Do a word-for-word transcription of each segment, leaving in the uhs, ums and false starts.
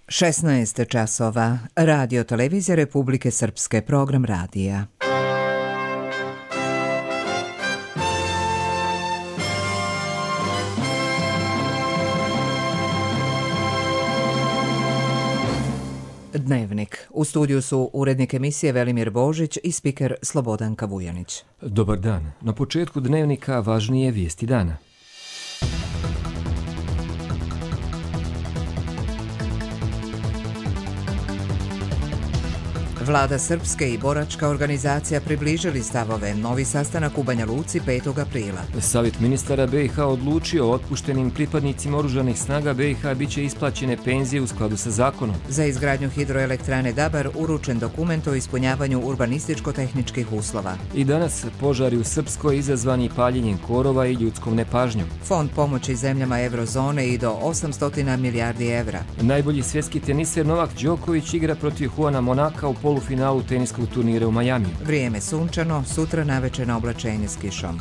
šesnaest časova. Radio Televizija Republike Srpske, program radija. Dnevnik. U studiju su urednik emisije Velimir Božić i spiker Slobodanka Vujanić. Dobar dan. Na početku dnevnika važnije vijesti dana. Vlada Srpske i boračka organizacija približili stavove. Novi sastanak u Banja Luci petog aprila. Savjet ministara B i H odlučio o otpuštenim pripadnicima oružanih snaga B i H biće isplaćene penzije u skladu sa zakonom. Za izgradnju hidroelektrane Dabar uručen dokument o ispunjavanju urbanističko-tehničkih uslova. I danas požari u Srpskoj izazvani paljenjem korova i ljudskom nepažnjom. Fond pomoći zemljama eurozone i do osamsto milijardi evra. Najbolji svjetski teniser Novak Đoković igra protiv Juana Monaka u polufinalu teniskog turnira u Majamiju. Vrijeme sunčano, sutra navečer oblačenje s kišom.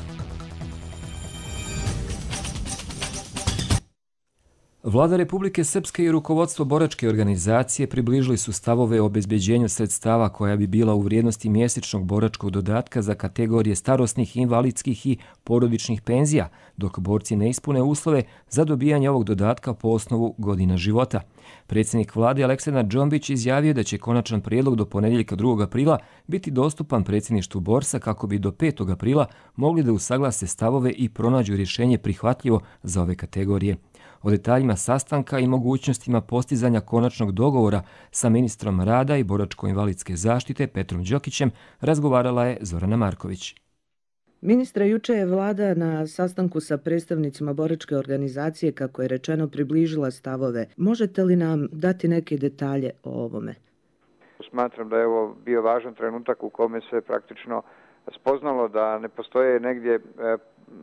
Vlada Republike Srpske i rukovodstvo boračke organizacije približili su stavove o obezbeđenju sredstava koja bi bila u vrijednosti mjesečnog boračkog dodatka za kategorije starosnih, invalidskih i porodičnih penzija, dok borci ne ispune uslove za dobijanje ovog dodatka po osnovu godina života. Predsjednik vlade Aleksandar Džombić izjavio da će konačan prijedlog do ponedjeljka drugog aprila biti dostupan predsjedništvu borsa kako bi do petog aprila mogli da usaglase stavove i pronađu rješenje prihvatljivo za ove kategorije. O detaljima sastanka i mogućnostima postizanja konačnog dogovora sa ministrom rada i boračko-invalidske zaštite Petrom Đokićem razgovarala je Zorana Marković. Ministre, juče je vlada na sastanku sa predstavnicima boračke organizacije, kako je rečeno, približila stavove. Možete li nam dati neke detalje o ovome? Smatram da je ovo bio važan trenutak u kome se praktično spoznalo da ne postoje negdje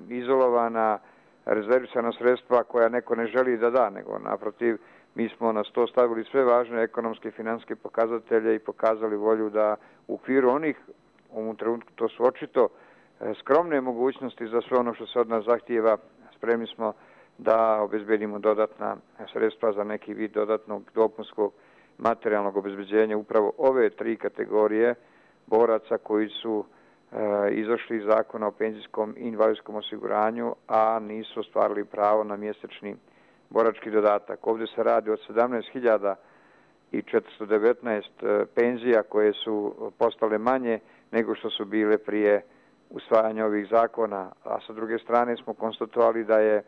izolovana rezervisana sredstva koja neko ne želi da da, nego naprotiv mi smo na sto stavili sve važne ekonomske i financijske pokazatelje i pokazali volju da u okviru onih, u ovom trenutku to su očito skromne mogućnosti za sve ono što se od nas zahtijeva, spremni smo da obezbedimo dodatna sredstva za neki vid dodatnog dopunskog materijalnog obezbeđenja upravo ove tri kategorije boraca koji su izašli iz zakona o penzijskom i invalidskom osiguranju, a nisu ostvarili pravo na mjesečni borački dodatak. Ovdje se radi od sedamnaest hiljada četiristo devetnaest penzija koje su postale manje nego što su bile prije usvajanja ovih zakona, a sa druge strane smo konstatovali da je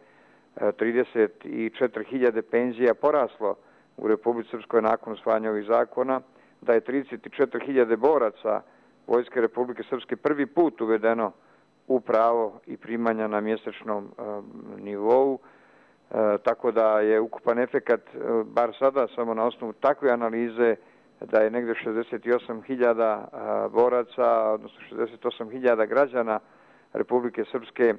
trideset četiri hiljade penzija poraslo u Republici Srpskoj nakon usvajanja ovih zakona, da je trideset četiri hiljade boraca Vojske Republike Srpske prvi put uvedeno u pravo i primanja na mjesečnom e, nivou, e, tako da je ukupan efekat, e, bar sada samo na osnovu takve analize, da je negdje šezdeset osam hiljada boraca, odnosno šezdeset osam hiljada građana Republike Srpske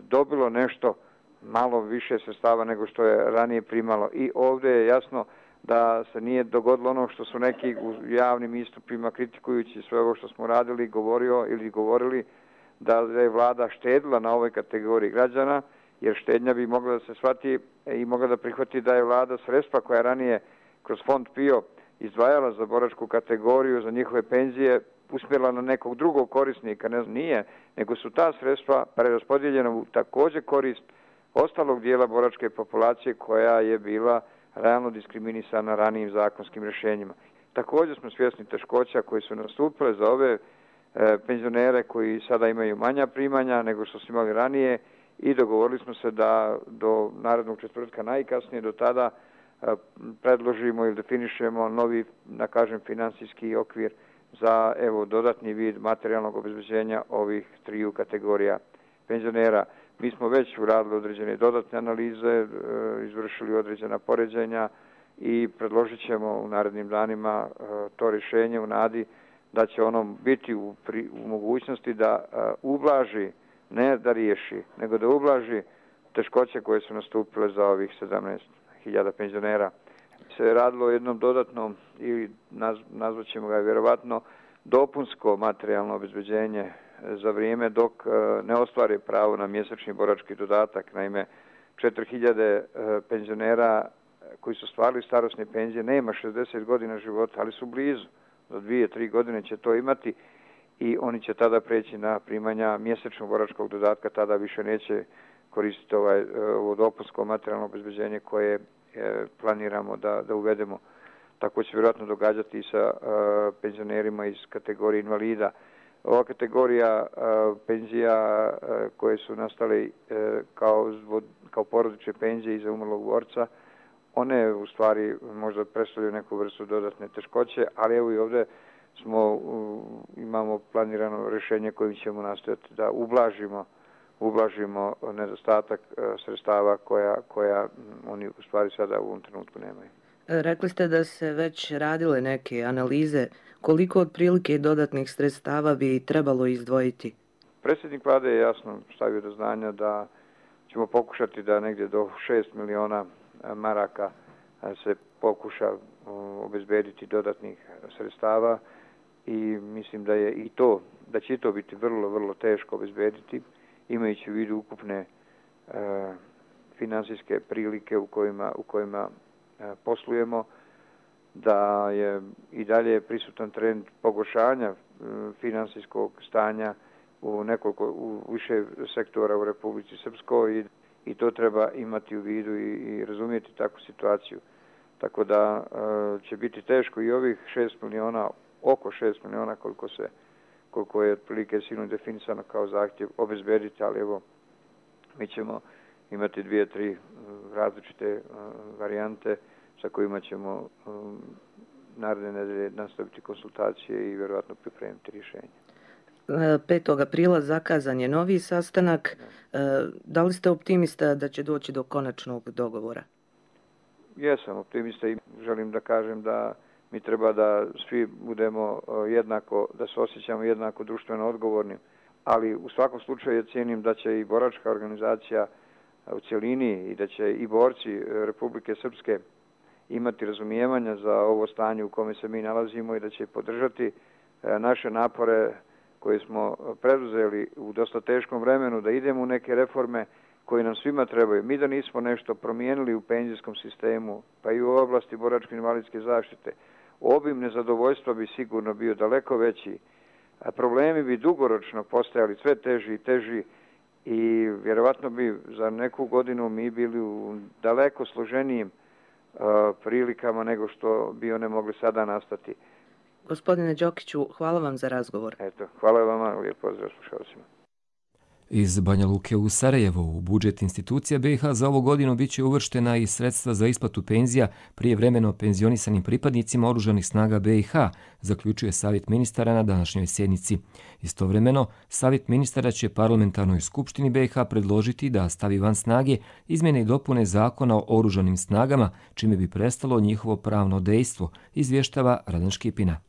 dobilo nešto malo više sredstava nego što je ranije primalo. I ovdje je jasno da se nije dogodilo ono što su neki u javnim istupima kritikujući sve ovo što smo radili, govorio ili govorili da je vlada štedila na ovoj kategoriji građana, jer štednja bi mogla da se shvati i mogla da prihvati da je vlada sredstva koja je ranije kroz fond PIO izdvajala za boračku kategoriju, za njihove penzije, usmjerila na nekog drugog korisnika. Ne, nije, nego su ta sredstva preraspodijeljena u također korist ostalog dijela boračke populacije koja je bila realno diskriminisana ranijim zakonskim rješenjima. Također smo svjesni teškoća koji su nastupile za ove e, penzionere koji sada imaju manja primanja nego što su imali ranije i dogovorili smo se da do narednog četvrtka najkasnije do tada e, predložimo ili definišemo novi, da kažem, financijski okvir za evo dodatni vid materijalnog obezbeđenja ovih triju kategorija penzionera. Mi smo već uradili određene dodatne analize, izvršili određena poređenja i predložit ćemo u narednim danima to rješenje u nadi da će ono biti u, pri, u mogućnosti da ublaži, ne da riješi, nego da ublaži teškoće koje su nastupile za ovih sedamnaest hiljada penzionera. Se radilo o jednom dodatnom, ili naz, nazvat ćemo ga vjerovatno, dopunsko materijalno obezbeđenje za vrijeme dok ne ostvari pravo na mjesečni borački dodatak. Naime, četiri hiljade penzionera koji su stvarali starosne penzije nema šezdeset godina života, ali su blizu. Do dvije, tri godine će to imati i oni će tada preći na primanja mjesečnog boračkog dodatka, tada više neće koristiti ovaj, ovo dopunsko materijalno obezbeđenje koje e, planiramo da, da uvedemo. Tako će vjerojatno događati i sa e, penzionerima iz kategorije invalida. Ova kategorija e, penzija e, koje su nastale e, kao, kao porodične penzije iza umrlog borca, one u stvari možda predstavljaju neku vrstu dodatne teškoće, ali evo i ovdje smo, imamo planirano rješenje kojim ćemo nastojati da ublažimo, ublažimo nedostatak sredstava koja, koja oni u stvari sada u ovom trenutku nemaju. Rekli ste da se već radile neke analize. Koliko otprilike dodatnih sredstava bi trebalo izdvojiti? Predsjednik vlade je jasno stavio do znanja da ćemo pokušati da negdje do šest miliona maraka se pokuša obezbediti dodatnih sredstava i mislim da je i to, da će to biti vrlo, vrlo teško obezbediti, imajući u vidu ukupne e, financijske prilike u kojima, u kojima e, poslujemo, da je i dalje prisutan trend pogoršanja e, financijskog stanja u nekoliko, u više sektora u Republici Srpskoj i I to treba imati u vidu i, i razumijeti takvu situaciju. Tako da e, će biti teško i ovih šest miliona, oko šest miliona koliko se, koliko je otprilike silno definisano kao zahtjev obezbediti, ali evo mi ćemo imati dvije, tri različite uh, varijante sa kojima ćemo um, naredne nedelje nastaviti konsultacije i vjerojatno pripremiti rješenje. petog aprila zakazan je novi sastanak. Da li ste optimista da će doći do konačnog dogovora? Jesam optimista i želim da kažem da mi treba da svi budemo jednako, da se osjećamo jednako društveno odgovornim, ali u svakom slučaju cijenim da će i boračka organizacija u cjelini i da će i borci Republike Srpske imati razumijevanja za ovo stanje u kome se mi nalazimo i da će podržati naše napore koje smo preduzeli u dosta teškom vremenu da idemo u neke reforme koje nam svima trebaju. Mi da nismo nešto promijenili u penzijskom sistemu, pa i u oblasti boračko-invalidske zaštite, obim nezadovoljstva bi sigurno bio daleko veći, a problemi bi dugoročno postajali sve teži i teži i vjerovatno bi za neku godinu mi bili u daleko složenijim uh, prilikama nego što bi one mogli sada nastati. Gospodine Đokiću, hvala vam za razgovor. Eto, hvala vama, lijep pozdrav slušalcima. Iz Banja Luke u Sarajevo u budžet institucija B i H za ovu godinu biće uvrštena i sredstva za isplatu penzija prijevremeno penzionisanim pripadnicima oružanih snaga B i H, zaključuje Savjet ministara na današnjoj sjednici. Istovremeno, Savjet ministara će parlamentarnoj skupštini B i H predložiti da stavi van snage izmjene i dopune zakona o oružanim snagama, čime bi prestalo njihovo pravno dejstvo, izvještava Radan Škipina.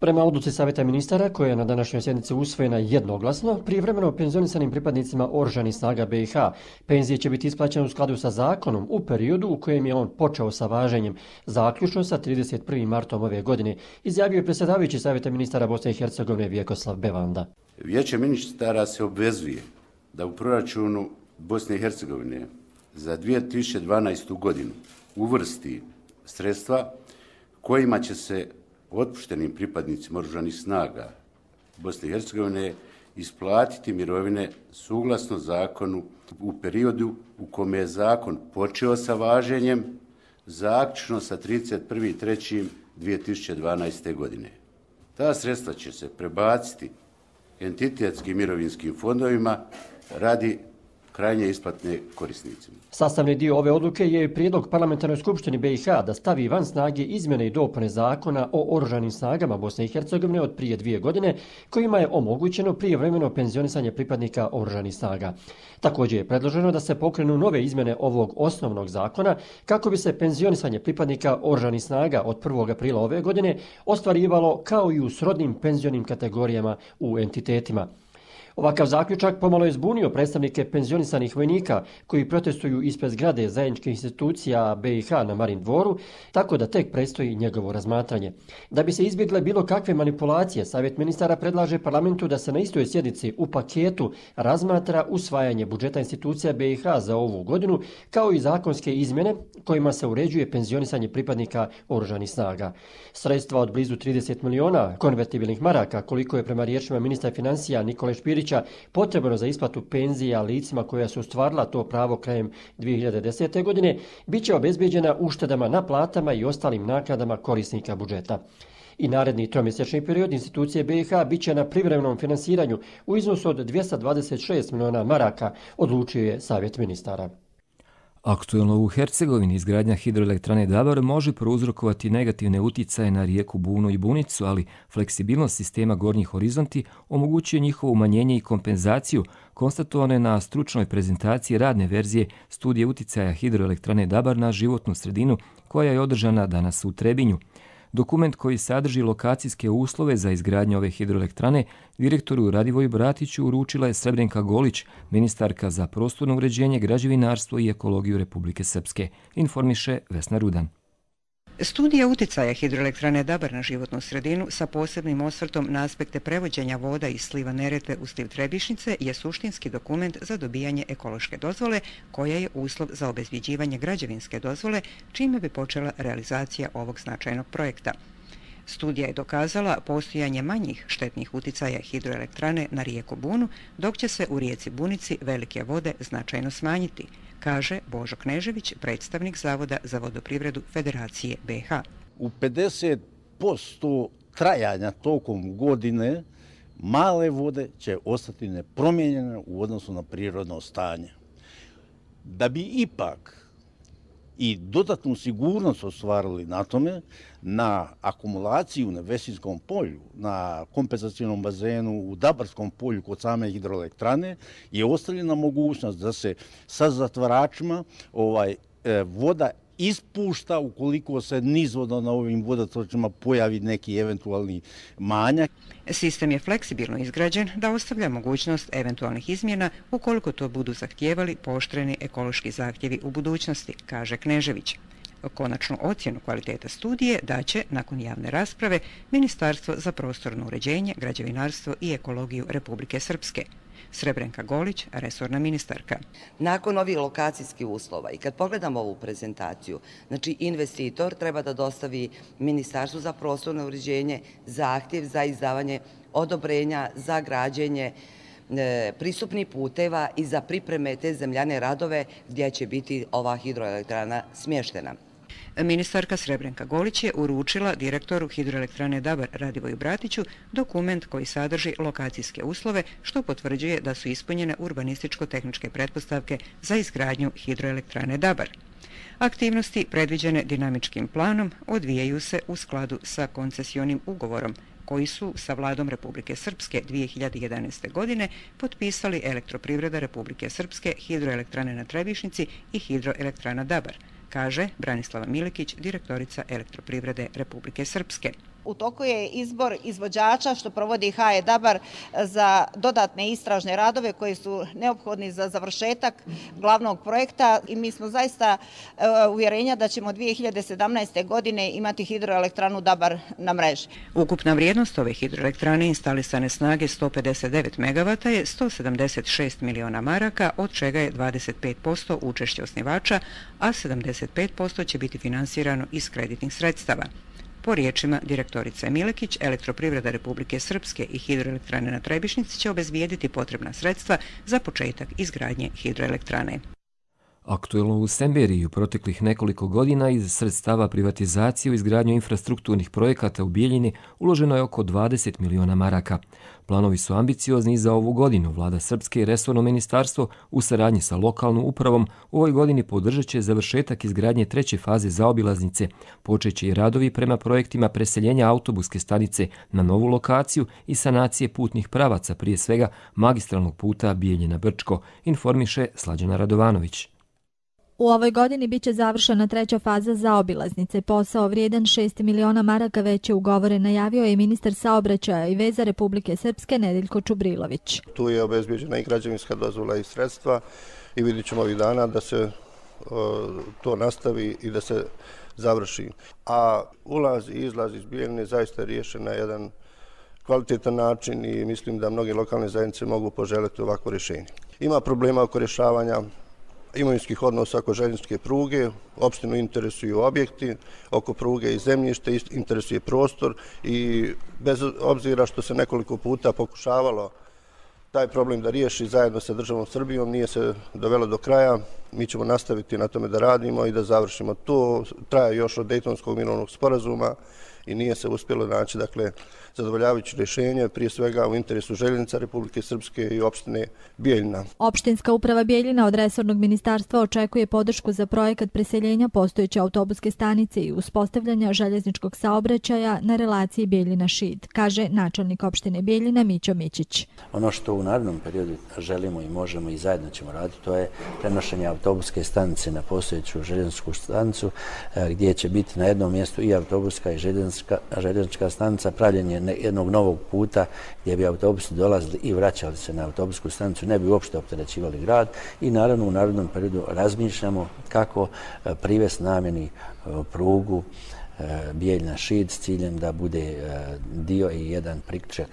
Prema odluci Savjeta ministara, koja je na današnjoj sjednici usvojena jednoglasno, prijevremeno penzionisanim pripadnicima oružanih snaga B i H penzije će biti isplaćene u skladu sa zakonom u periodu u kojem je on počeo sa važenjem, zaključno sa trideset prvim martom ove godine, izjavio je predsjedavajući Savjeta ministara Bosne i Hercegovine Vjekoslav Bevanda. Vijeće ministara se obvezuje da u proračunu Bosne i Hercegovine za dvije tisuće dvanaestu. godinu uvrsti sredstva kojima će se otpuštenim pripadnicima oružanih snaga Bosne i Hercegovine isplatiti mirovine suglasno zakonu u periodu u kome je zakon počeo sa važenjem, zaključno sa trideset prvim trećim dvije tisuće dvanaeste. godine. Ta sredstva će se prebaciti entitetskim mirovinskim fondovima radi krajnje isplatne korisnicima. Sastavni dio ove odluke je i prijedlog parlamentarnoj skupštini B i H da stavi van snage izmjene i dopune zakona o oružanim snagama Bosne i Hercegovine od prije dvije godine, kojima je omogućeno prijevremeno penzionisanje pripadnika oružanih snaga. Također je predloženo da se pokrenu nove izmjene ovog osnovnog zakona kako bi se penzionisanje pripadnika oružanih snaga od prvog aprila ove godine ostvarivalo kao i u srodnim penzionim kategorijama u entitetima. Ovakav zaključak pomalo je zbunio predstavnike penzionisanih vojnika koji protestuju ispred zgrade zajedničkih institucija B i H na Marin dvoru, tako da tek predstoji njegovo razmatranje. Da bi se izbjegle bilo kakve manipulacije, Savjet ministara predlaže parlamentu da se na istoj sjednici u paketu razmatra usvajanje budžeta institucija B i H za ovu godinu, kao i zakonske izmjene kojima se uređuje penzionisanje pripadnika oružanih snaga. Sredstva od blizu trideset miliona konvertibilnih maraka, koliko je prema riječima ministra financija Nikole Špirića potrebno za isplatu penzija licima koja su ostvarila to pravo krajem dvije hiljade desete. godine, bit će obezbeđena uštedama na platama i ostalim naknadama korisnika budžeta. I naredni tromjesečni period institucije B i H bit će na privremenom finansiranju u iznosu od dvjesto dvadeset šest miliona maraka, odlučio je Savjet ministara. Aktuelno u Hercegovini izgradnja hidroelektrane Dabar može prouzrokovati negativne uticaje na rijeku Bunu i Bunicu, ali fleksibilnost sistema Gornji horizonti omogućuje njihovo umanjenje i kompenzaciju, konstatovano je na stručnoj prezentaciji radne verzije studije uticaja hidroelektrane Dabar na životnu sredinu koja je održana danas u Trebinju. Dokument koji sadrži lokacijske uslove za izgradnju ove hidroelektrane direktoru Radivoju Bratiću uručila je Srebrenka Golić, ministarka za prostorno uređenje, građevinarstvo i ekologiju Republike Srpske, informiše Vesna Rudan. Studija uticaja hidroelektrane Dabar na životnu sredinu sa posebnim osvrtom na aspekte prevođenja voda iz sliva Neretve u sliv Trebišnjice je suštinski dokument za dobijanje ekološke dozvole koja je uslov za obezbjeđivanje građevinske dozvole, čime bi počela realizacija ovog značajnog projekta. Studija je dokazala postojanje manjih štetnih uticaja hidroelektrane na rijeku Bunu, dok će se u rijeci Bunici velike vode značajno smanjiti, kaže Božo Knežević, predstavnik Zavoda za vodoprivredu Federacije B i H. U pedeset posto trajanja tokom godine male vode će ostati nepromijenjene u odnosu na prirodno stanje. Da bi ipak i dodatnu sigurnost ostvarili na tome, na akumulaciju na Vesinskom polju, na kompenzacijnom bazenu u Dabarskom polju kod same hidroelektrane je ostavljena mogućnost da se sa zatvaračima ovaj, e, voda ispušta ukoliko se nizvodno na ovim vodotočima pojavi neki eventualni manjak. Sistem je fleksibilno izgrađen da ostavlja mogućnost eventualnih izmjena ukoliko to budu zahtijevali pooštreni ekološki zahtjevi u budućnosti, kaže Knežević. Konačnu ocjenu kvaliteta studije daće, nakon javne rasprave, Ministarstvo za prostorno uređenje, građevinarstvo i ekologiju Republike Srpske. Srebrenka Golić, resorna ministarka. Nakon ovih lokacijskih uslova i kad pogledamo ovu prezentaciju, znači investitor treba da dostavi Ministarstvu za prostorno uređenje zahtjev za izdavanje odobrenja za građenje e, pristupnih puteva i za pripreme te zemljane radove gdje će biti ova hidroelektrana smještena. Ministarka Srebrenka Golić je uručila direktoru hidroelektrane Dabar Radivoju Bratiću dokument koji sadrži lokacijske uslove, što potvrđuje da su ispunjene urbanističko-tehničke pretpostavke za izgradnju hidroelektrane Dabar. Aktivnosti predviđene dinamičkim planom odvijaju se u skladu sa koncesionim ugovorom koji su sa vladom Republike Srpske dvije hiljade jedanaeste. godine potpisali Elektroprivreda Republike Srpske, hidroelektrane na Trebišnjici i hidroelektrana Dabar, kaže Branislava Milekić, direktorica Elektroprivrede Republike Srpske. U toku je izbor izvođača što provodi H E Dabar za dodatne istražne radove koji su neophodni za završetak glavnog projekta i mi smo zaista uvjerenja da ćemo dvije hiljade sedamnaeste. godine imati hidroelektranu Dabar na mreži. Ukupna vrijednost ove hidroelektrane instalisane snage sto pedeset devet megavata je sto sedamdeset šest miliona maraka, od čega je dvadeset pet posto učešće osnivača, a sedamdeset pet posto će biti finansirano iz kreditnih sredstava. Po riječima direktorice Milekić, Elektroprivreda Republike Srpske i hidroelektrane na Trebišnjici će obezbijediti potrebna sredstva za početak izgradnje hidroelektrane. Aktuelno u Semberiji u proteklih nekoliko godina iz sredstava privatizacije u izgradnju infrastrukturnih projekata u Bijeljini uloženo je oko dvadeset miliona maraka. Planovi su ambiciozni i za ovu godinu. Vlada Srpske i resorno ministarstvo u saradnji sa lokalnom upravom u ovoj godini podržat će završetak izgradnje treće faze zaobilaznice. Počeće i radovi prema projektima preseljenja autobuske stanice na novu lokaciju i sanacije putnih pravaca, prije svega magistralnog puta Bijeljina-Brčko, informiše Slađana Radovanović. U ovoj godini biće završena treća faza zaobilaznice. Posao vrijedan šest miliona maraka već je ugovoren, najavio je ministar saobraćaja i veza Republike Srpske Nedeljko Čubrilović. Tu je obezbeđena i građevinska dozvola i sredstva i vidjet ćemo ovih dana da se o, to nastavi i da se završi. A ulaz i izlaz iz Bijeljine zaista je riješen na jedan kvalitetan način i mislim da mnoge lokalne zajednice mogu poželjeti ovako rješenje. Ima problema oko rješavanja imovinskih odnosa oko željezničke pruge, opštinu interesuju objekti, oko pruge i zemljište interesuje prostor i bez obzira što se nekoliko puta pokušavalo taj problem da riješi zajedno sa državom Srbijom, nije se dovelo do kraja. Mi ćemo nastaviti na tome da radimo i da završimo. To traje još od Dejtonskog mirovnog sporazuma i nije se uspjelo naći, dakle, zadovoljavajuće rješenje, prije svega u interesu željeznica Republike Srpske i opštine Bijeljina. Opštinska uprava Bijeljina od resornog ministarstva očekuje podršku za projekat preseljenja postojeće autobuske stanice i uspostavljanja željezničkog saobraćaja na relaciji Bijeljina-Šid, kaže načelnik opštine Bijeljina Mićo Mićić. Ono što u narednom periodu želimo i možemo i zajedno ćemo raditi, to je prenošenje autobuske stanice na postojeću željezničku stanicu, gdje će biti na jednom mjestu i autobuska i željeznička, željeznička stanica, pravljenje jednog novog puta gdje bi autobusi dolazili i vraćali se na autobusku stanicu, ne bi uopšte opterećivali grad i naravno u narodnom periodu razmišljamo kako privesti namjeni prugu Bijeljina-Šid s ciljem da bude dio i jedan priključak,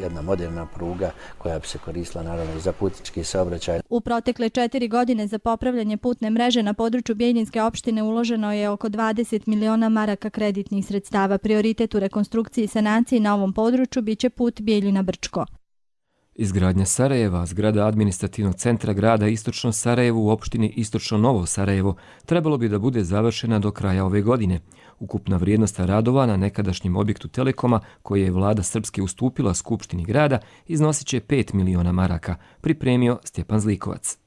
jedna moderna pruga koja bi se koristila naravno i za putnički saobraćaj. U protekle četiri godine za popravljanje putne mreže na području Bijeljinske opštine uloženo je oko dvadeset miliona maraka kreditnih sredstava. Prioritet u rekonstrukciji i sanaciji na ovom području biće put Bijeljina-Brčko. Izgradnja Sarajeva, zgrada administrativnog centra grada Istočno Sarajevo u opštini Istočno Novo Sarajevo, trebalo bi da bude završena do kraja ove godine. Ukupna vrijednost radova na nekadašnjem objektu Telekoma, koje je vlada Srpske ustupila Skupštini grada, iznosit će pet miliona maraka, pripremio Stjepan Zlikovac.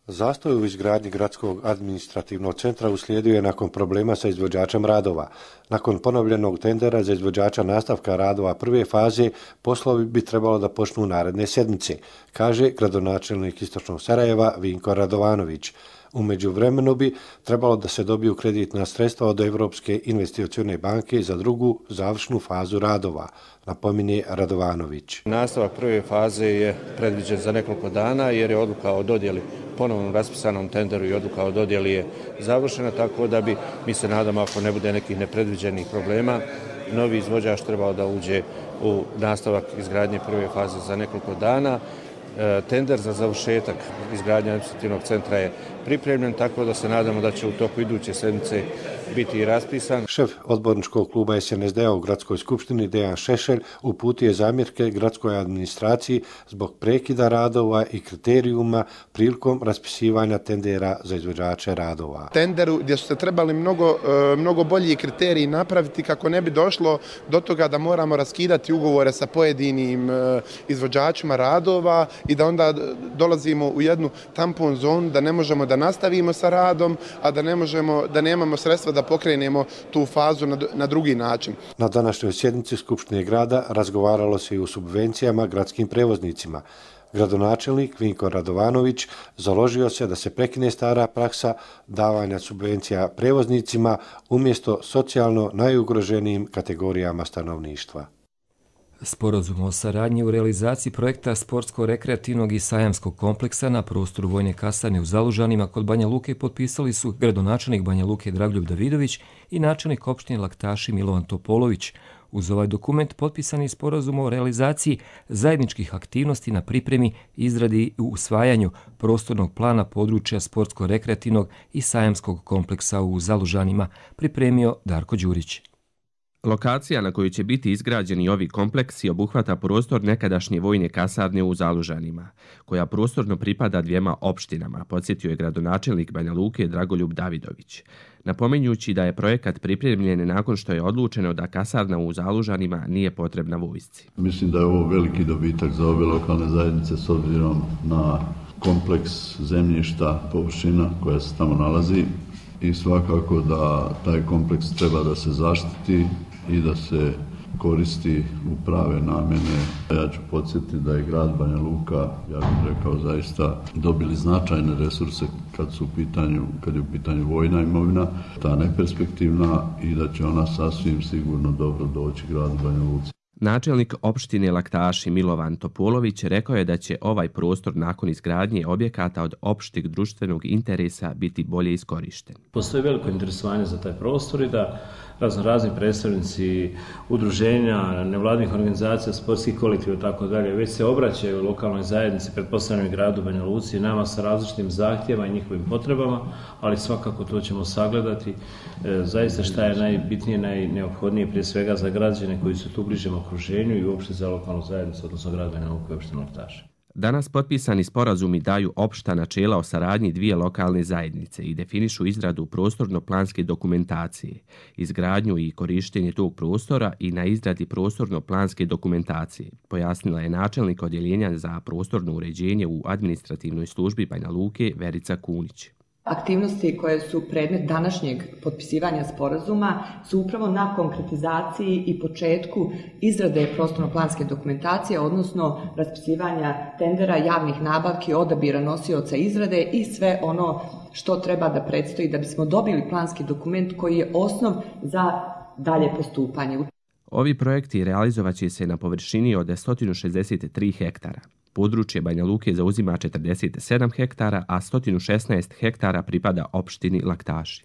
Zastoj u izgradnji gradskog administrativnog centra uslijedio je nakon problema sa izvođačem radova. Nakon ponovljenog tendera za izvođača nastavka radova prve faze, poslovi bi trebalo da počnu naredne sedmice, kaže gradonačelnik Istočnog Sarajeva Vinko Radovanović. U međuvremenu bi trebalo da se dobiju kreditna sredstva od Evropske investicione banke za drugu završnu fazu radova, napominje Radovanović. Nastavak prve faze je predviđen za nekoliko dana jer je odluka o dodjeli ponovnom raspisanom tenderu i odluka o dodjeli je završena, tako da bi, mi se nadamo ako ne bude nekih nepredviđenih problema, novi izvođač trebao da uđe u nastavak izgradnje prve faze za nekoliko dana. Tender za završetak izgradnje administrativnog centra je pripremljen, tako da se nadamo da će u toku iduće sedmice biti i raspisan. Šef odborničkog kluba S N S D-a u gradskoj skupštini Dejan Šešelj uputio je zamjerke gradskoj administraciji zbog prekida radova i kriterijuma prilikom raspisivanja tendera za izvođače radova. Tenderu gdje su se trebali mnogo, mnogo bolji kriteriji napraviti kako ne bi došlo do toga da moramo raskidati ugovore sa pojedinim izvođačima radova i da onda dolazimo u jednu tampon zonu da ne možemo da nastavimo sa radom, a da ne možemo, da nemamo sredstva da pokrenemo tu fazu na, na drugi način. Na današnjoj sjednici Skupštine grada razgovaralo se i o subvencijama gradskim prevoznicima. Gradonačelnik Vinko Radovanović založio se da se prekine stara praksa davanja subvencija prevoznicima umjesto socijalno najugroženijim kategorijama stanovništva. Sporazum o saradnji u realizaciji projekta sportsko-rekreativnog i sajamskog kompleksa na prostoru vojne kasarne u Zalužanima kod Banja Luke potpisali su gradonačelnik Banja Luke Dragoljub Davidović i načelnik opštine Laktaši Milovan Topolović. Uz ovaj dokument potpisani sporazum o realizaciji zajedničkih aktivnosti na pripremi, izradi i usvajanju prostornog plana područja sportsko-rekreativnog i sajamskog kompleksa u Zalužanima, pripremio Darko Đurić. Lokacija na kojoj će biti izgrađeni ovi kompleksi obuhvata prostor nekadašnje vojne kasarne u Zalužanima, koja prostorno pripada dvijema opštinama, podsjetio je gradonačelnik Banja Luke Dragoljub Davidović, napominjući da je projekat pripremljen nakon što je odlučeno da kasarna u Zalužanima nije potrebna vojsci. Mislim da je ovo veliki dobitak za ove lokalne zajednice s obzirom na kompleks zemljišta, površina koja se tamo nalazi i svakako da taj kompleks treba da se zaštiti i da se koristi u prave namjene. Ja ću podsjetiti da je grad Banja Luka, ja bih rekao, zaista dobili značajne resurse kad su u pitanju, kad je u pitanju vojna imovina, ta neperspektivna, i da će ona sasvim sigurno dobro doći gradu Banja Luci. Načelnik opštine Laktaši Milovan Topolović rekao je da će ovaj prostor nakon izgradnje objekata od opšteg društvenog interesa biti bolje iskorišten. Postoji veliko interesovanje za taj prostor i da razno razni predstavnici udruženja, nevladnih organizacija, sportskih kolektiva i tako dalje već se obraćaju lokalnoj zajednici, pretpostavljam i gradu Banja Luci, nama sa različitim zahtjevima i njihovim potrebama, ali svakako to ćemo sagledati. E, zaista šta je najbitnije, najneophodnije prije svega za građane koji su tu u bližem okruženju i uopšte za lokalnu zajednicu, odnosno grad Banja Luka i opštinu Laktaši. Danas potpisani sporazumi daju opšta načela o saradnji dvije lokalne zajednice i definišu izradu prostorno-planske dokumentacije, izgradnju i korištenje tog prostora i na izradi prostorno-planske dokumentacije, pojasnila je načelnik odjeljenja za prostorno uređenje u administrativnoj službi Banja Luke Verica Kunić. Aktivnosti koje su predmet današnjeg potpisivanja sporazuma su upravo na konkretizaciji i početku izrade prostorno-planske dokumentacije, odnosno raspisivanja tendera, javnih nabavki, odabira nosioca izrade i sve ono što treba da predstoji da bismo dobili planski dokument koji je osnov za dalje postupanje. Ovi projekti realizovat će se na površini od sto šezdeset tri hektara. Područje Banja Luke zauzima četrdeset sedam hektara, a sto šesnaest hektara pripada opštini Laktaši.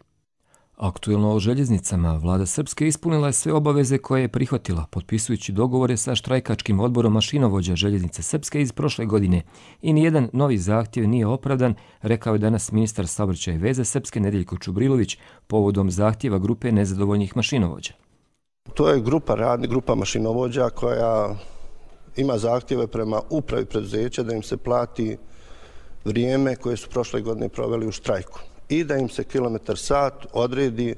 Aktuelno o željeznicama, vlada Srpske ispunila je sve obaveze koje je prihvatila, potpisujući dogovore sa štrajkačkim odborom mašinovođa željeznice Srpske iz prošle godine. I nijedan novi zahtjev nije opravdan, rekao je danas ministar saobraćaja i veze Srpske Nedeljko Čubrilović povodom zahtjeva grupe nezadovoljnih mašinovođa. To je grupa radni, grupa mašinovođa koja ima zahtjeve prema upravi preduzeća da im se plati vrijeme koje su prošle godine proveli u štrajku i da im se kilometar sat odredi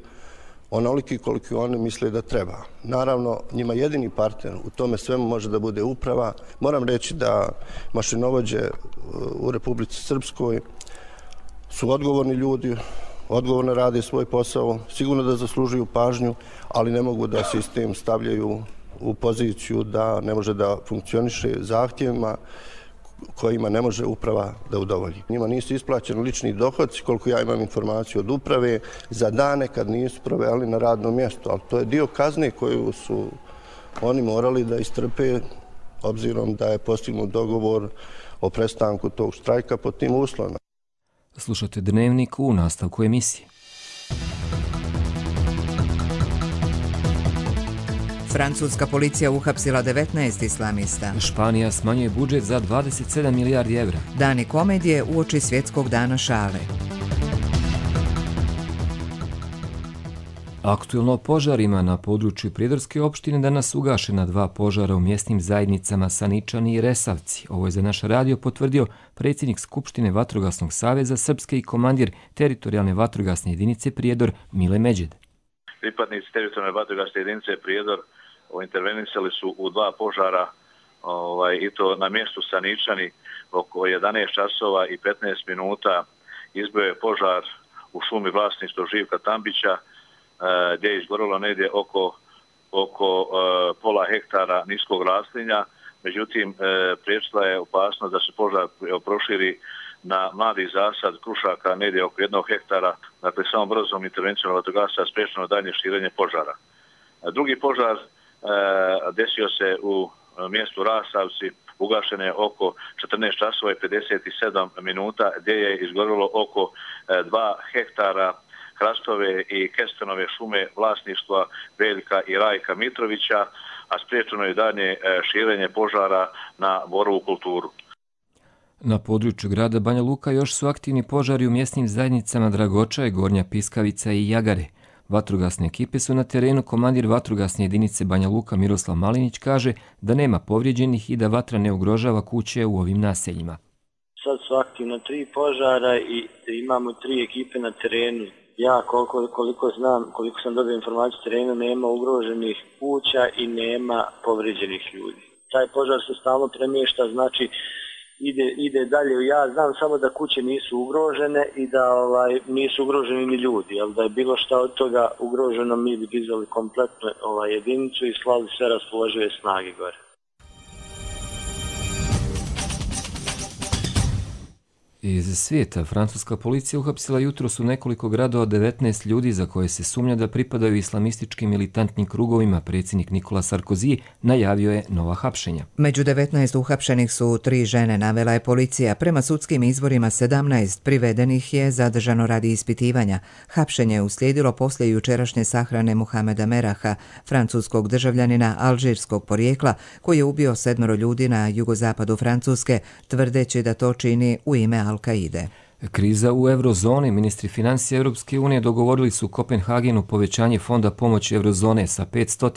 onoliki koliko oni misle da treba. Naravno, njima jedini partner u tome svemu može da bude uprava. Moram reći da mašinovođe u Republici Srpskoj su odgovorni ljudi, odgovorno rade svoj posao, sigurno da zaslužuju pažnju, ali ne mogu da sistem stavljaju u poziciju da ne može da funkcioniše zahtjevima kojima ne može uprava da udovolji. Njima nisu isplaćeni lični dohodci, koliko ja imam informaciju od uprave, za dane kad nisu proveli na radnom mjestu, ali to je dio kazne koju su oni morali da istrpe, obzirom da je postignut dogovor o prestanku tog štrajka pod tim uslovima. Slušate Dnevnik u nastavku emisije. Francuska policija uhapsila devetnaest islamista. Španija smanjuje budžet za dvadeset sedam milijardi evra. Dani komedije uoči svjetskog dana šale. Aktuelno o požarima na području Prijedorske opštine danas ugašena dva požara u mjesnim zajednicama Saničani i Resavci. Ovo je za naš radio potvrdio predsjednik Skupštine Vatrogasnog saveza Srpske i komandir teritorijalne vatrogasne jedinice Prijedor Mile Međed. Pripadnici teritorijalne vatrogasne jedinice Prijedor intervenisali su u dva požara ovaj, i to na mjestu Saničani oko jedanaest časova i petnaest minuta izbio je požar u šumi vlasništva Živka Tambića gdje je izgorilo negdje oko, oko uh, pola hektara niskog raslinja. Međutim, uh, priječila je opasnost da se požar proširi na mladi zasad krušaka negdje oko jednog hektara. Dakle, samo brzom intervencijom vatrogasaca spriječeno dalje širenje požara. Uh, drugi požar uh, desio se u mjestu Rasavci, ugašen je oko četrnaest časova i pedeset sedam minuta gdje je izgorilo oko uh, dva hektara hrastove i kestenove šume vlasništva Veljka i Rajka Mitrovića, a spriječeno je dalje širenje požara na borovu kulturu. Na području grada Banja Luka još su aktivni požari u mjesnim zajednicama Dragočaj, Gornja Piskavica i Jagare. Vatrogasne ekipe su na terenu, komandir vatrogasne jedinice Banja Luka Miroslav Malinić kaže da nema povrijeđenih i da vatra ne ugrožava kuće u ovim naseljima. Sad su aktivno tri požara i imamo tri ekipe na terenu. Ja koliko, koliko znam, koliko sam dobio informaciju terenu, nema ugroženih kuća i nema povrijeđenih ljudi. Taj požar se stalno premješta, znači ide, ide dalje. Ja znam samo da kuće nisu ugrožene i da ovaj, nisu ugroženi ni ljudi. Jel, da je bilo šta od toga ugroženo, mi bi dizali kompletnu ovaj, jedinicu i slali sve raspoložive snage gore. Iz svijeta, francuska policija uhapsila jutros u nekoliko gradova devetnaest ljudi za koje se sumnja da pripadaju islamističkim militantnim krugovima. Predsjednik Nikola Sarkozy najavio je nova hapšenja. Među devetnaest uhapšenih su tri žene, navela je policija. Prema sudskim izvorima sedamnaest privedenih je zadržano radi ispitivanja. Hapšenje je uslijedilo poslije jučerašnje sahrane Muhameda Meraha, francuskog državljanina alžirskog porijekla, koji je ubio sedmero ljudi na jugozapadu Francuske, tvrdeći da to čini u ime Al-Kaide. Kriza u eurozoni. Ministri financija Europske unije dogovorili su u Kopenhagenu povećanje fonda pomoći eurozone sa petsto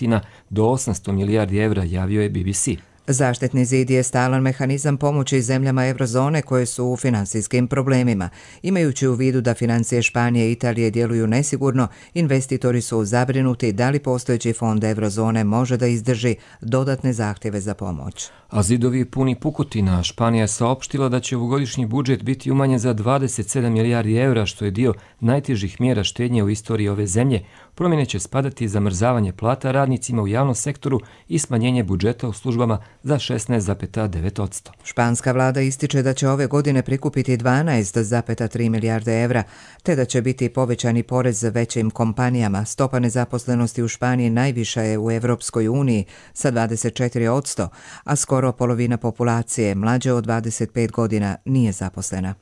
do osamsto milijardi evra, javio je B B C. Zaštitni zid je stalan mehanizam pomoći zemljama eurozone koje su u financijskim problemima. Imajući u vidu da financije Španije i Italije djeluju nesigurno, investitori su zabrinuti da li postojeći fond eurozone može da izdrži dodatne zahtjeve za pomoć. A zidovi puni pukotina. Španija je saopštila da će ovogodišnji budžet biti umanjen za dvadeset sedam milijardi evra, što je dio najtežih mjera štednje u istoriji ove zemlje. Promjene će spadati zamrzavanje plata radnicima u javnom sektoru i smanjenje budžeta u službama za šesnaest zarez devet posto. Španska vlada ističe da će ove godine prikupiti dvanaest zarez tri milijarde evra, te da će biti povećani porez većim kompanijama. Stopa nezaposlenosti u Španiji najviša je u Europskoj uniji sa dvadeset četiri posto, a skoro polovina populacije mlađe od dvadeset pet godina nije zaposlena.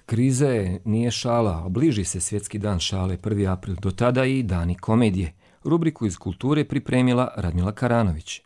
Kriza je nije šala, obliži se svjetski dan šale prvi april, do tada i dani komedije. Rubriku iz kulture pripremila Radmila Karanović.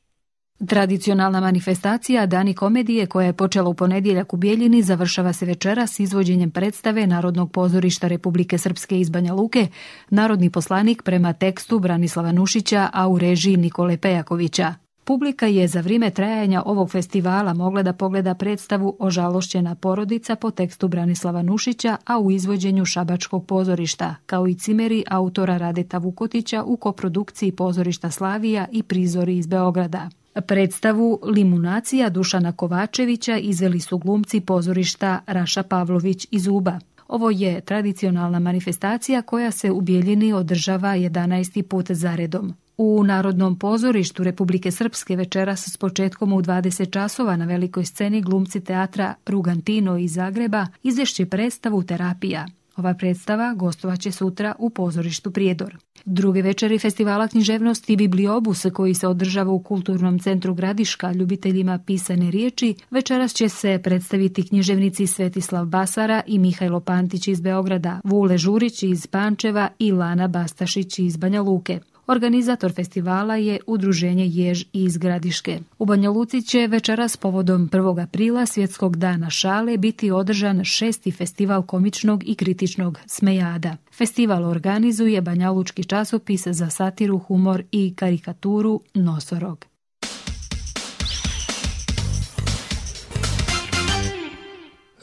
Tradicionalna manifestacija Dani komedije, koja je počela u ponedjeljak u Bijeljini, završava se večeras s izvođenjem predstave Narodnog pozorišta Republike Srpske iz Banja Luke, Narodni poslanik prema tekstu Branislava Nušića, a u režiji Nikole Pejakovića. Publika je za vrijeme trajanja ovog festivala mogla da pogleda predstavu Ožalošćena porodica po tekstu Branislava Nušića, a u izvođenju Šabačkog pozorišta, kao i cimeri autora Radeta Vukotića u koprodukciji pozorišta Slavija i Prizori iz Beograda. Predstavu Limunacija Dušana Kovačevića izveli su glumci pozorišta Raša Pavlović iz Uba. Ovo je tradicionalna manifestacija koja se u Bijeljini održava jedanaesti put zaredom. U Narodnom pozorištu Republike Srpske večeras s početkom u dvadeset časova na velikoj sceni glumci teatra Rugantino iz Zagreba izvešće predstavu Terapija. Ova predstava gostovaće sutra u pozorištu Prijedor. Druge večeri festivala književnosti Bibliobus, koji se održava u Kulturnom centru Gradiška ljubiteljima pisane riječi, večeras će se predstaviti književnici Svetislav Basara i Mihajlo Pantić iz Beograda, Vule Žurić iz Pančeva i Lana Bastašić iz Banja Luke. Organizator festivala je Udruženje Jež iz Gradiške. U Banja Luci će večeras povodom prvog aprila, Svjetskog dana šale, biti održan šesti festival komičnog i kritičnog Smejada. Festival organizuje banjalučki časopis za satiru, humor i karikaturu Nosorog.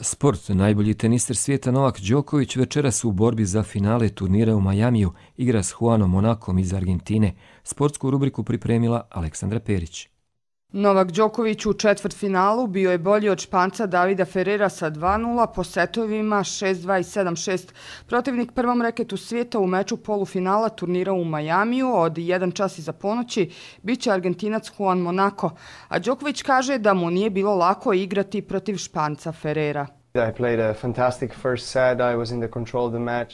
Sport. Najbolji teniser svijeta Novak Đoković večeras u borbi za finale turnira u Majamiju igra s Juanom Monakom iz Argentine. Sportsku rubriku pripremila Aleksandra Perić. Novak Đoković u četvrtfinalu bio je bolji od Španca Davida Ferrera sa dva nula po setovima šest dva i sedam šest. Protivnik prvom reketu svijeta u meču polufinala turnira u Majamiju od jedan čas iza ponoći biće Argentinac Juan Monaco, a Đoković kaže da mu nije bilo lako igrati protiv Španca Ferrera.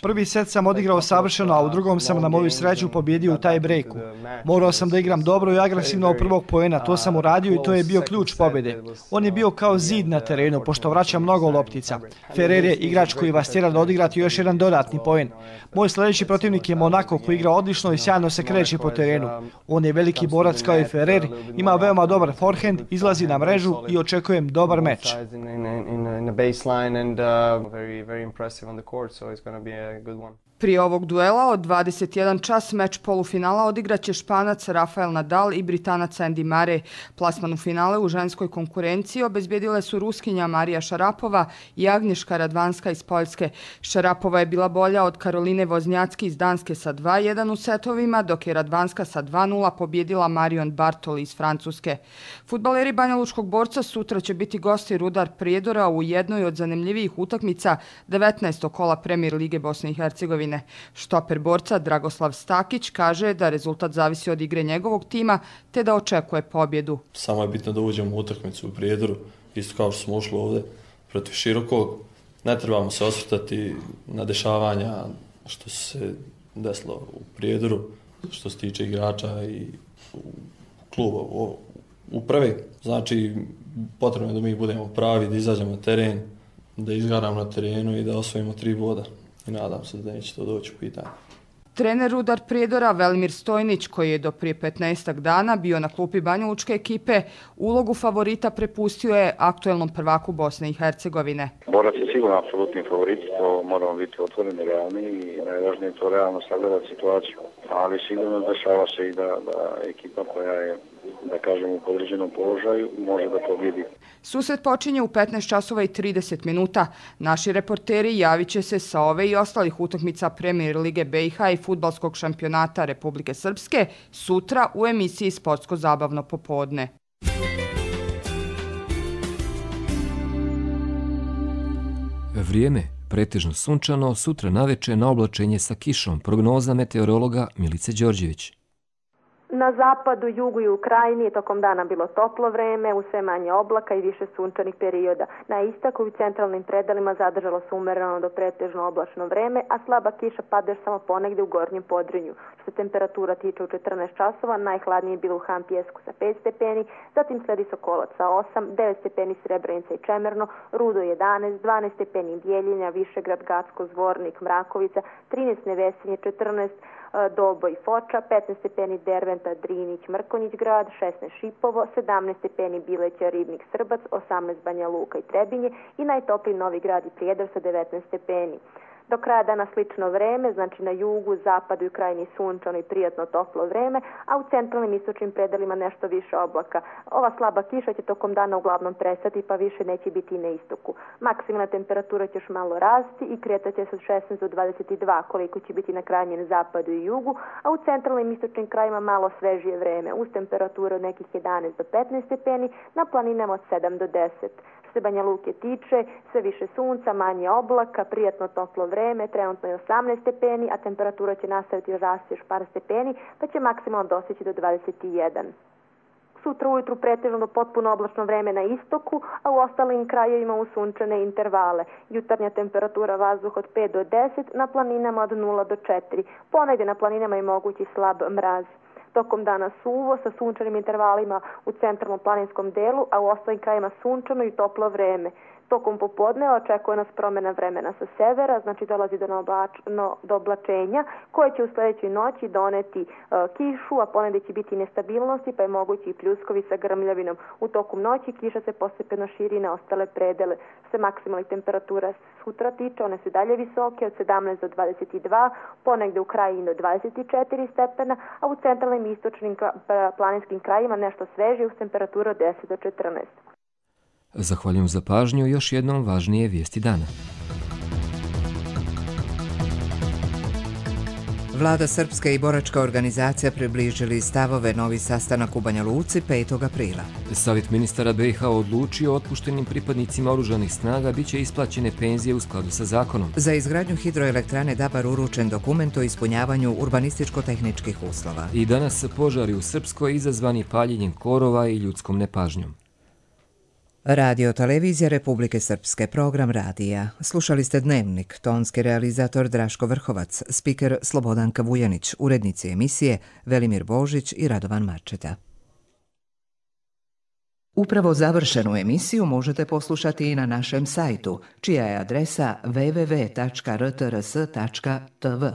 Prvi set sam odigrao savršeno, a u drugom sam na moju sreću pobjedio u taj breaku. Morao sam da igram dobro i agresivno od prvog poena, to sam uradio i to je bio ključ pobjede. On je bio kao zid na terenu, pošto vraća mnogo loptica. Ferrer je igrač koji vas tjera da odigrati još jedan dodatni poen. Moj sljedeći protivnik je Monaco, koji igra odlično i sjajno se kreće po terenu. On je veliki borac kao i Ferrer, ima veoma dobar forehand, izlazi na mrežu i očekujem dobar meč. Prije ovog duela od dvadeset jedan čas meč polufinala odigraće Španac Rafael Nadal i Britanac Andy Murray. Plasman u finale u ženskoj konkurenciji obezbjedile su Ruskinja Marija Šarapova i Agnješka Radvanska iz Poljske. Šarapova je bila bolja od Karoline Voznjacki iz Danske sa dva jedan u setovima, dok je Radvanska sa dva nula pobjedila Marion Bartoli iz Francuske. Fudbaleri Banjalučkog Borca sutra će biti gosti Rudar Prijedora u jednoj od zanimljivijih utakmica devetnaestog kola Premier lige Bosne i Hercegovine. Štoper Borca Dragoslav Stakić kaže da rezultat zavisi od igre njegovog tima te da očekuje pobjedu. Samo je bitno da uđemo u utakmicu u Prijedoru, isto kao što smo ušli ovdje protiv Širokog. Ne trebamo se osvrtati na dešavanja što se desilo u Prijedoru, što se tiče igrača i kluba u upravi. Znači, potrebno je da mi budemo pravi, da izađemo na teren, da izgaramo na terenu i da osvojimo tri boda. I nadam se da neće to doći u pitanje. Trener Rudar Prijedora Velimir Stojnić, koji je do prije petnaestak dana bio na klupi banjalučke ekipe, ulogu favorita prepustio je aktuelnom prvaku Bosne i Hercegovine. Borac je sigurno apsolutni favorit, to moramo biti otvoreni, realni i najvažnije to realno sagledati situaciju. Ali sigurno dešava se i da, da ekipa koja je, da kažem, u podređenom položaju može da pobjedi. Susret počinje u petnaest časova i trideset minuta. Naši reporteri javit će se sa ove i ostalih utakmica Premier lige B i H i fudbalskog šampionata Republike Srpske sutra u emisiji Sportsko-zabavno popodne. Vrijeme pretežno sunčano, sutra naveče na oblačenje sa kišom. Prognoza meteorologa Milice Đorđević. Na zapadu, jugu i u krajini tokom dana bilo toplo vreme, u sve manje oblaka i više sunčanih perioda. Na istoku i centralnim predelima zadržalo se umereno do pretežno oblačno vreme, a slaba kiša pada samo ponegde u gornjem Podrinju. Što se temperatura tiče u četrnaest časova, najhladnije je bilo u Han Pjesku sa pet stepeni, zatim sledi Sokolac sa osam, devet stepeni Srebrenica i Čemerno, Rudo jedanaest, dvanaest stepeni Bijeljina, Višegrad, Gacko, Zvornik, Mrakovica, trinaest Nevesinje, četrnaest Doboj, Foča, petnaest stepeni Derventa, Drinić, Mrkonjić grad, šesnaest Šipovo, sedamnaest stepeni Bileća, Ribnik, Srbac, osamnaest Banja Luka i Trebinje i najtopliji Novi Grad i Prijedor sa devetnaest stepeni. Do kraja dana slično vreme, znači na jugu, zapadu i krajini sunčano i prijatno toplo vreme, a u centralnim istočnim predelima nešto više oblaka. Ova slaba kiša će tokom dana uglavnom prestati, pa više neće biti i na istoku. Maksimalna temperatura će još malo rasti i kretat će se od šesnaest do dvadeset dva, koliko će biti na krajnjem zapadu i jugu, a u centralnim istočnim krajima malo svežije vreme, uz temperature od nekih jedanaest do petnaest stepeni, na planinama od sedam do deset. Se Banja Luke tiče, sve više sunca, manje oblaka, prijatno toplo vreme, trenutno je osamnaest stepeni, a temperatura će nastaviti rasti još par stepeni, pa će maksimalno dostići do dvadeset jedan. Sutra ujutru pretežno do potpuno oblačno vreme na istoku, a u ostalim krajevima u sunčane intervale. Jutarnja temperatura vazduha od pet do deset, na planinama od nula do četiri. Ponegde na planinama je mogući slab mraz. Tokom dana suvo sa sunčanim intervalima u centralnom planinskom delu, a u ostalim krajima sunčano i toplo vreme. Tokom popodne očekuje nas promjena vremena sa severa, znači dolazi do, oblač, no, do oblačenja koje će u sljedećoj noći doneti e, kišu, a ponegdje će biti nestabilnosti, pa je mogući i pljuskovi sa grmljavinom. U toku noći kiša se postepeno širi na ostale predele. Se maksimalnih temperatura sutra tiče, one su dalje visoke od sedamnaest do dvadeset dva, ponegdje u krajini do dvadeset četiri stepena, a u centralnim i istočnim planinskim krajima nešto sveže uz temperaturu od deset do četrnaest. Zahvaljujem za pažnju, još jednom važnije vijesti dana. Vlada Srpska i boračka organizacija približili stavove novi sastanak u Banja Luci petog aprila. Savjet ministara B i H odlučio otpuštenim pripadnicima oružanih snaga bit će isplaćene penzije u skladu sa zakonom. Za izgradnju hidroelektrane Dabar uručen dokument o ispunjavanju urbanističko-tehničkih uslova. I danas požari u Srpskoj izazvani paljenjem korova i ljudskom nepažnjom. Radio Televizija Republike Srpske, program radija. Slušali ste Dnevnik, tonski realizator Draško Vrhovac, spiker Slobodanka Vujanić, urednici emisije Velimir Božić i Radovan Marčeta. Upravo završenu emisiju možete poslušati i na našem sajtu, čija je adresa w w w tačka r t r s tačka t v.